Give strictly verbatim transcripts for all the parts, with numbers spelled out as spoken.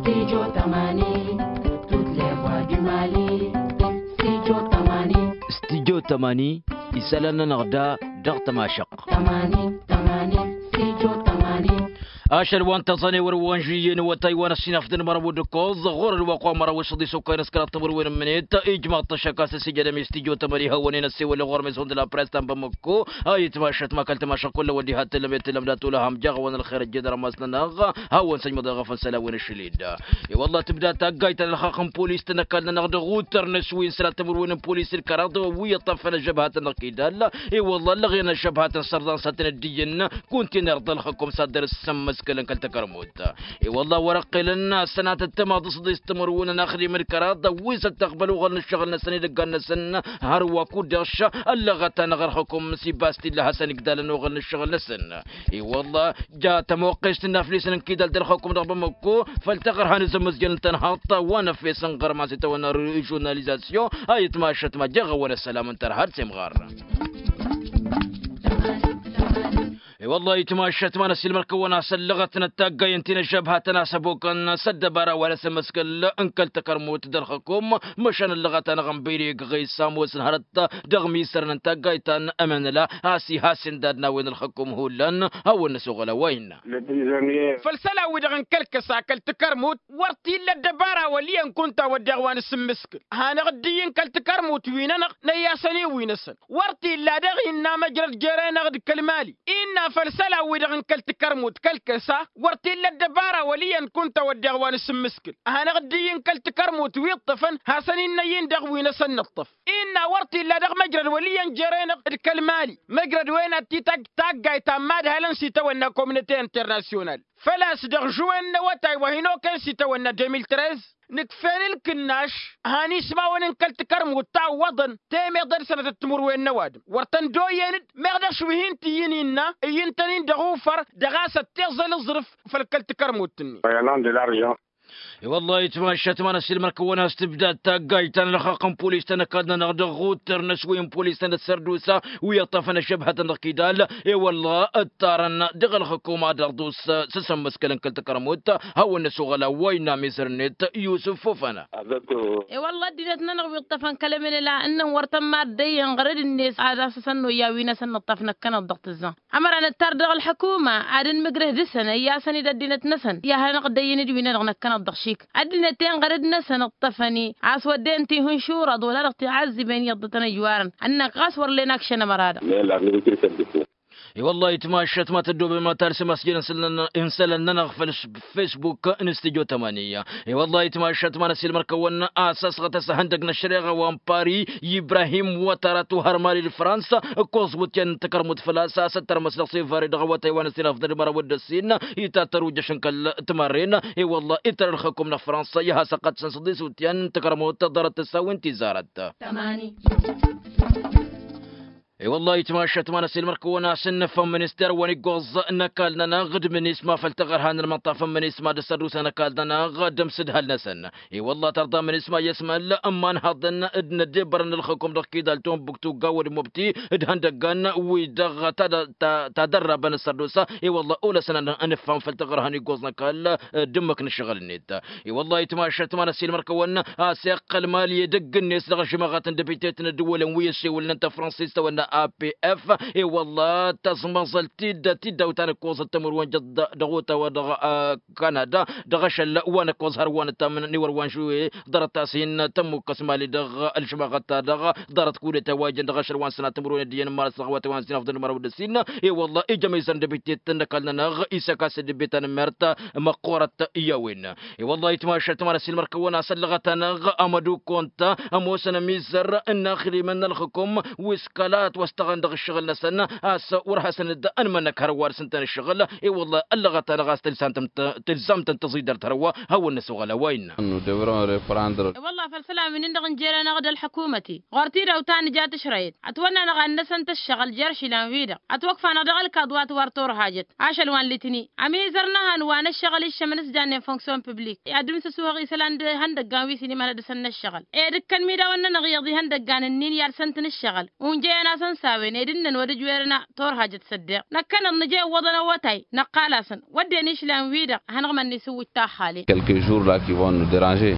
Studio tămani. Tutleɣ wa d-imali. Studio tămani. Studio tămani. Isălan-nănăɣ da dăɣ-tămašăɣt. Tămani tămani. Studio tămani. Ašăl wa n-tăẓane wăr-wăn žuyyen wătay wa n-ăssinăfdăn măraw d-ǝkkoẓ ɣur-ălwăqq wa n-măraw s-ăḍisokay n-ăskăraḍ timǝrwen n-imnet. Ijmăɣ-t ăššăk a-s ăsijădăm i-studio tămani hawăn-in-ăssewălăn ɣur-mizon d-la press ta n-bamăkko. A itmašăt ma kăl-tamašăɣ kull a-wa dd-iha tǝllăm i-tǝllăm dat-olăhăm jaɣ-awăn ălxer ăjjed rămas-nănăɣ. Hawăn-săjmăḍ i-ɣăf n-isălan wi n-ašăl-dd. I-wălla tǝbda taggayt ta n-ălxaqq n-polis-tăn ăkall-nănăɣ dăɣ-utărnăs wi n-sălat timǝrwen n-polis d-kăraḍ wi ǝṭṭăfăn ăžžăbhatăn dăɣ-kidal. I-wălla ăllăɣen ăžžăbhatăn sărḍan s-ad-tăn ăddijǝn. Kuntinăr dăɣ-ălxăkum s-ad-dăr-s sămmăskălăn kăl-takărmut. I-wălla wăr-ăqqelăn sănatăt tămaḍ s-ḍis timǝrwen ănaxdem d-kăraḍ wi s-ăttăqbăl uɣăl n-ǝššăɣǝl-năsăn edăggan-năsăn. Hărwa kud-dăɣ š-ăllăɣăt-anăɣ ălxăkum s-ibas t-illa hasăn-igdalăn uɣăl n-ǝššăɣǝl-năsăn. I-wălla ja tămoqqest n-aflisen n-kidal d-ălxăkum dăɣ-bamăkko. Făl taɣărha n-azămmăzjăn n-tănhaḍt wa n-efes n-ɣărman s-itawănna režionalizasyon. A itmašăt ma jeɣ-awăn ăssălam n-tărha d-semɣar. I-wălla itmašăt ma n-ăssiilmăr-kăwăn a-s ăllăɣătnăt taggayen ti n-ăžžăbhatăn a-s ăbokăn s-ăddăbara wa n-asămmăskăl n-kăl-takărmut d-ălxăkum. Măšan ăllăɣăt-anăɣ n-băyre igɣăy s-ămoosăn hărăt dăɣ-misărăn n-taggayt ta n-emănăla a-s iha s-indad n-a-wen ălxăkum hullan. Hawăn-năsoɣăl a-wa innă. Făll-isălan-wi-dăɣ n-kăl-kăsa kăl-takărmut wăr t-illa ăddăbara wăl' iyyăn kunta wădden wa n-asǝmmǝskǝl. Hanăɣ-dd iyyăn kăl-takărmut wi-nănăɣ năyy-asăn i-wi-năsăn. Wăr t-illa daɣ innă măjrăd jere-năɣ d-kăl-mali innă făll-isălan-wi-dăɣ n-kăl-takărmut kăl-kăsa. Wăr t-illa ăddăbara wăl' iyyăn kunta wădden wa n-asǝmmǝskǝl. Hanăɣ-dd iyyăn kăl-takărmut wi ǝṭṭăfăn hasăn-in-năyy-in dăɣ-wi-năsăn nǝṭṭăf. Innă wăr t-illa dăɣ-măjrăd wăl' iyyăn jere-năɣ d-kăl-mali măjrăd-wen ad-t-ităgg taggayt ta n-imadhalăn s-itawănna komnăte internasyonal. Făl-a-s dăɣ-žuwen n-awătay wa hin-okăyăn s-itawănna deux mille treize. Nǝkf'-en ǝlkǝnnaš han ismawăn n-kăl-takărmut tawwăḍăn temeḍe d-sănătăt timǝrwen n-ăwadǝm wăr tăn-dd-oyyen-dd meɣ d-ašwi hin-t-iyyǝn innă iyyǝn-tăn-in dăɣ-ufăr dăɣ-a-s ăttiẓăl aẓrǝf. Făll-kăl-takărmut-net. I-wălla itmašat ma n-ăssiilmăr-kăwăn a-s tǝbdad taggayt ta n-ălxaqq n-polis ta n-ăkall-nănăɣ dăɣ-uttăr n-aswăy n-polis ta n-ăssărdusa wi ăṭṭăfăn ăžžăbhătăn dăɣ-kidal. I-wălla ǝṭṭarăn dăɣ-ălxǝkum ad-dăɣ-ḍus s-asǝmmǝskăl n-kăl-takărmut. Hawăn-năsoɣăl a-wa innă amizăr-net yusǝf fofăna. I-wălla ăddinăt-nănăɣ wi ǝṭṭăfăn kăl-emănăla ǝnnăn wăr tăn-mad-dăyyăn ɣărăd-net ad-asăsăn noyya wi n-asăn nǝṭṭăf năkkăneḍ dăɣ-tǝzza. Ămăra nǝttar dăɣ-ălḥăkuma ad-ănmǝjrăh dăɣ-săn ăyy-asăn-dd ăddinăt-năsăn i-ad-hanăɣ-dd-ăyyăn d-wi-nănăɣ năkkăneḍ dăɣ-šik. Ăddinăt-en ɣărăd-năsăn ǝṭṭăfăn-i a-s wădden tihǝnšurăḍ wăla dăɣ-tiɣazzǝben iyyăḍ dăɣ-tăn-ăjwarăn. Ănnăk ɣas wăr len akšăn ămăra-dăɣ. I-wălla-hi tmašat ma tăddobem ad-talsăm asjăl n-isălan-nănăɣ făll-facebook n-studyo tămani. I-wălla-hi tmašat ma n-ăssiilmăr-kăwăn a-s ăsɣăt asăhăndăg n-ăššăreɣa wa n-pari ibrahim wătara tuhărmali d-fransa. Ǝkkoẓ wǝtyan n-takărmut făl-a-s a-s ăttărmăs dăɣ-sevare dăɣ-awătay wa n-ăssinăfḍăn d-măraw d-ăssin. Itattăr ujăš n-kăl-timarren. I-wălla-hi tăr-ălxăkum n-fransa i-ad-has-ăqqătsăn s-ăḍisutyan n-takărmut ḍarăt tǝssawen tizarăt. I-wălla-hi tmašat ma n-ăssiilmăr-kăwăn a-s ǝnnǝfăm minister wa n-iggoẓ n-ăkall-nănăɣ d-minisma făll-taɣărha n-ălmănṭaf n-minisma d-ăssărdusa n-ăkall-nănăɣ d-ămsǝdhăl-năsăn. I-wălla tărḍa minisma i-asmăl n-imanhaḍăn d-inăddebbărăn ălxǝkum dăɣ-kidal tombuktu gawăd mobti d-ihăndăggan wi-dăɣ tadărrabăn ăssărdusa. I-wălla olăsăn ad-nǝffam făll-taɣărha n-iggoẓ n-ăkall d-ǝmmǝk n-ǝššăɣǝl-net. I-wălla-hi tmašat ma n-ăssiilmăr-kăwăn a-s iqqăl mali edăgg-net dăɣ-ažmăɣăt n-depite-t n-ăddǝwălăn wi ăssewălnen tafrănsist tawănna apf. I-wălla tăẓmăẓăl-t-dd tiddawt ta n-ǝkkoẓăt timǝrwen jăḍ dăɣ-otawa dăɣ-kanada dăɣ-ašăl wa n-ǝkkoẓ hărwa n-ăttamǝn n-iwăr wa n-žuwe. Ḍarăt-as hin-tămmukkăs mali dăɣ-ălžămaɣăt-ta-dăɣ ḍarăt kudeta wa jăn dăɣ-ašăl wa n-sănat timǝrwen ăddiyăn n-imărăs dăɣ-awătay wa n-sinăfḍăn d-mărăw d-ăssin. I-wălla ija mizăr n-depite-t n-ăkall-nănăɣ isăka s-dd-beta n-mert măqqoorăt i-a-wen. I-wălla-hi tmašat ma n-ăssiilmăr-kăwăn a-s ăllăɣăt-anăɣ amădu konta ămoosăn ămizăr n-inaxdimăn n-ălxǝkum wi s-kăla ătwăstăɣăn dăɣ-ǝššăɣǝl-năsăn. A-s wăr hasăn-dd-ănmănăk hărwa dăr-săn-tăn ǝššăɣǝl. I-wălla ăllăɣăt-anăɣ a-s tǝlzam-tăn tăẓidărt hărwa. Hawăn-năsoɣăl a-wa innă. I-wălla făll-isălan wi n-dăɣ-n jere-năɣ d-ălḥăkumăt-i ɣur-t-dd awtan ǝja tǝšrăyăt ătwănn'-anăɣ ad-năsăn tǝššăɣǝl jer-išilan-wi-dăɣ ătwăkfa-năɣ dăɣ-ălkaḍ wa t-wăr torhajăt ašăl wa n-litni. Ămizăr n-ehăn wa n-ǝššăɣǝl iššămăn s-jannen fonksyon piblik ad-dd-imsǝsuhăɣ isălan d-ihăndăggan wi s-inimhănăd dăɣ-săn n-ǝššăɣǝl ed ǝkkăn imidawăn-nănăɣ iyyăḍ ihăndăggan ǝnnin i-ad-săn-tăn-ǝššăɣǝl. Unjăyăn a-s Tăn-sawen ed ǝnnăn wăr-ǝjwerăn torhajăt s-ăddeɣ năkkăneḍ nǝja iwwăḍăn awătay năqqal-asăn wădden išlan-wi-dăɣ hanăɣ-mănni s-ǝwwǝj taxxale. Quelques jours là qui vont nous déranger.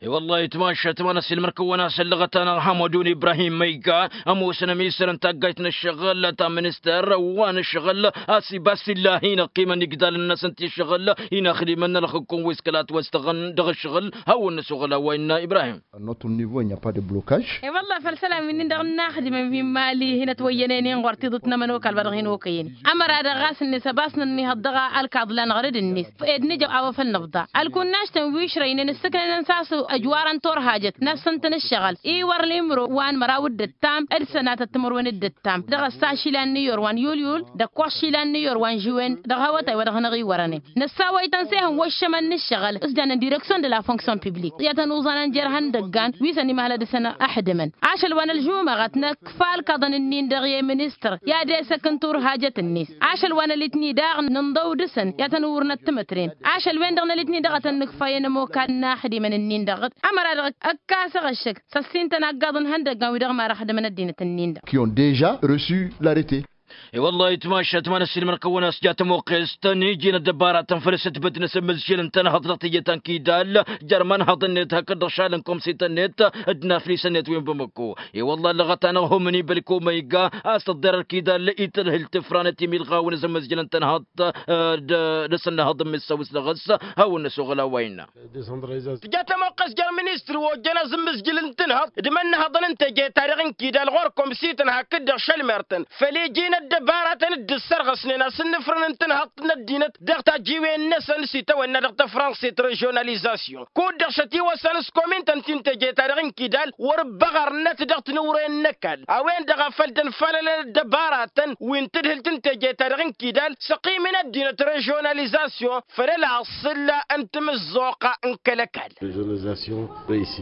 I-wăllah itmašat ma n-ăsilmăr-kăwăn-asăn lăɣăt-anăɣ hamădun ibrahim ma iga ămoosăn ămisăr n-taggayt n-ǝššăɣǝl ta minister wa n-ǝššăɣǝl a-s ibas illa hin-ăqqimăn igdalăn-năsăn ti-ǝššăɣǝl hin-ăxdimăn n-ălxǝkkum wi s-kăla ătwăstăɣăn dăɣ-ǝššăɣǝl. Hawăn-năsoɣăl a-wa innă ibrahim. Notre niveau il n'y a pas de blocage. I-wăllah făll-isălan wi-nin-dăɣ n-inaxdimăn wi n-imali hin-ătwăyyănen inɣur tiḍǝt n-ămănokal wa dăɣ-hin-okăyăn. Ămăra-dăɣ ɣas ǝnnis ăbas nănnihăḍ dăɣ-ălkaḍ la năɣrǝd-net ed nǝja a-wa făl nǝbḍa ălkunnajt n-wi ǝšrăynen ǝssǝknănăn s-a-s ăjwarăn turhajăt n-assăn-tăn ǝššăɣǝl iwăr limro wa n-măraw d-ǝttam d-sănatăt timǝrwen d-ǝttam dăɣ-ăssa ašila n-niyor wa n-yulyul d-ăkkoẓ ašila n-niyor wa n-žǝwen dăɣ-hawătay wa dăɣ-năɣ-iwărănen. Năssawăy-tăn s-ehăn wăššămăn n-ǝššăɣǝl s-jannen direksyon de la fonksyon piblik i-ad-tăn-uẓanăn jer-ihăndăggan wi săn imăhlăd-săn. Ăḥdǝmăn ašăl wa n-ălžumăɣăt năkfa ălkaḍăn-ǝnnin-dăɣ i-ministăr i-ad-esăk n-turhajăt-net ašăl wa n-ălitni daɣ nǝnḍăw dăɣ-săn i-ad-tăn-uwrǝnăt timǝtren. Ašăl-wen-dăɣ n-ălitni daɣ ad-tăn-nǝkfayăn ămokal n-inaxdimăn-ǝnnin dăɣ-dd ămăra-dăɣ ăkk'-as aɣăššăk s-ăssin-tăn aggaḍ n-ihăndăggan wi dăɣ-marăxdǝmăn ăddinăt-ǝnnin-dăɣ. Qui ont déjà reçu l'arrêté. I-wăllah itmašat ma n-ăsilmăr-kăwăn a-s ja tămoqqest n-iji n-ăddăbaratăn făll-asǝtbǝt n-asǝmmǝzjǝl n-tănhăḍt dăɣ-tijăt ta n-kidal jer-imanhăḍ-net hakd-dăɣ šal n-komsităn-net d-inaflis-net wi n-bamăkko. I-wăllah ăllăɣăt-anăɣ homni bălko ma iga a-s tăḍḍer ălkidal i-tadhǝlt tifranăt imilɣawen azǝmmǝzjǝl n-tănhăḍt d-asǝnnăhăḍ n-missăwǝs dăɣ-s. Hawăn-năsoɣăl a-wa innă. Tǝja tămoqqes jer-ministri ojjăn azǝmmǝzjǝl n-tǝnhăḍt d-imănnăhăḍăn n-teje-ta-dăɣ n-kidal ɣur-komsităn hakd-dăɣ šălmer-tăn făll-iji n-ăddăbaratăn dd-ǝssărɣăsnen asǝnnǝfrǝn n-tǝnhăḍt n-ăddinăt dăɣ-tajǝywen-năsăn s-itawănna dăɣ-tafrănsit režionalizasyon kud-dăɣ šătiwăsăn s-komintăn ti n-teje-ta-dăɣ n-kidal wăr-ǝbbăɣărnăt dăɣ-tinǝwren n-ăkall a-wen-dăɣ a făl dd-ănfalălăn ăddăbaratăn wi n-tadhǝlt n-teje-ta-dăɣ n-kidal s-ăqqimăn ăddinăt režionalizasyon făll-ălaṣṣǝl n-timǝzzuɣt n-kăl-ăkall. Režionalizasyon reisi.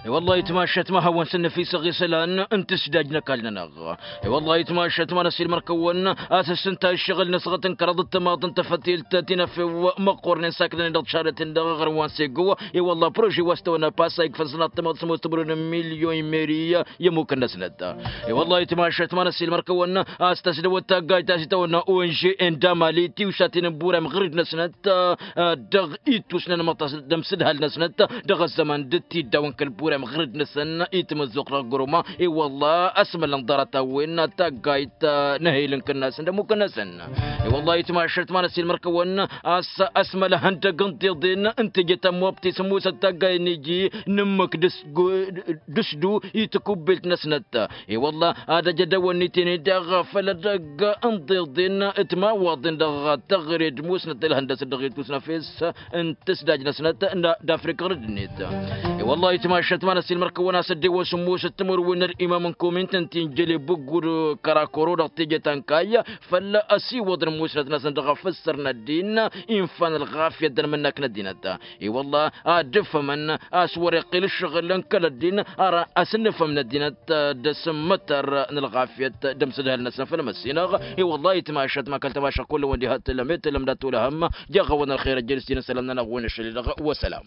I-wăllah itmašat ma hawăn-săn năfisăɣ isălan n-tǝsdaj n-ăkall-nănăɣ. I-wăllah itmašat ma n-ăsilmăr-kăwăn a-s ǝssǝnta ǝššăɣǝl n-asăɣăt n-kăraḍ d-timaḍt n-tafătilt tinăfew măqqornen saknănen dăɣ-tišarăt-in-dăɣ ɣărwan sego. I-wăllah prože wa s-tăwănna pasa ikfăn sănat timaḍt s-ămoos timǝrwen n-milyon meri i-ămmukăn-năsnăt. I-wăllah itmašat ma n-ăsilmăr-kăwăn a-s tăsdăwăt taggayt ta s-itawănna onže n-damali tiwsaten n-burem ɣǝrǝd-năsnăt dăɣ-ittus n-anmăṭas d-amsǝdhal-năsnăt dăɣ-ăzzăman d-tiddaw n-kăl-burem ɣǝrǝd-năsăn i-tamăzzuɣt dăɣ-guruma. I-wălla ăsmălăn ḍarăt-a-wen taggayt n-ehel n-kănnasăn d-ămmukăn-năsăn. I-wălla itmašărt ma n-ăsilmăr-kăwăn a-s ăsmăl ehăndăg n-tiḍen n-teje ta n-mobti s-ămoosăt taggayt n-iji n-ǝmmǝk dăɣ-s du i-takubbelt-năsnăt. I-wălla ad-ăj ad-ăwănniten-dd daɣ făll-edăgg n-tiḍen d-timawaḍen dăɣ-taɣre d-musnăt d-ălhăndăsăt dăɣ-ittus n-efes n-tǝsdaj-năsnăt d-afrika ɣur-dd-net. I-wălla itmašăt ma n-ăsilmăr-kăwăn a-s ăddewăn s-ămoosăt timǝrwen n-ălimam n-komint n-tinjăle bǝggud kărakoro dăɣ-teje ta n-kayy făll-ăsiwăḍăn musnăt-năsăn dăɣ-afǝssăr n-ăddin. Infan ălɣafyăt d-ănmǝnnak n-ăddinăt. I-wălla ad-ǝfhămăn a-s wăr-iqqǝl ǝššăɣǝl n-kăl-ăddin ar asǝnnǝfhăm n-ăddinăt d-asǝmmătăr n-ălɣafyăt d-amsǝdhăl-năsăn făll-măssinăɣ. I-wălla itmašăt ma kăl-tamašăɣ kull-wăn diha t-tǝllăm i-tǝllăm dat-olăhăm. Jaɣ-awăn ălxer ăjjel s-tinǝs ălămnănăɣ wen ašăl-i-dăɣ. Wăsălam.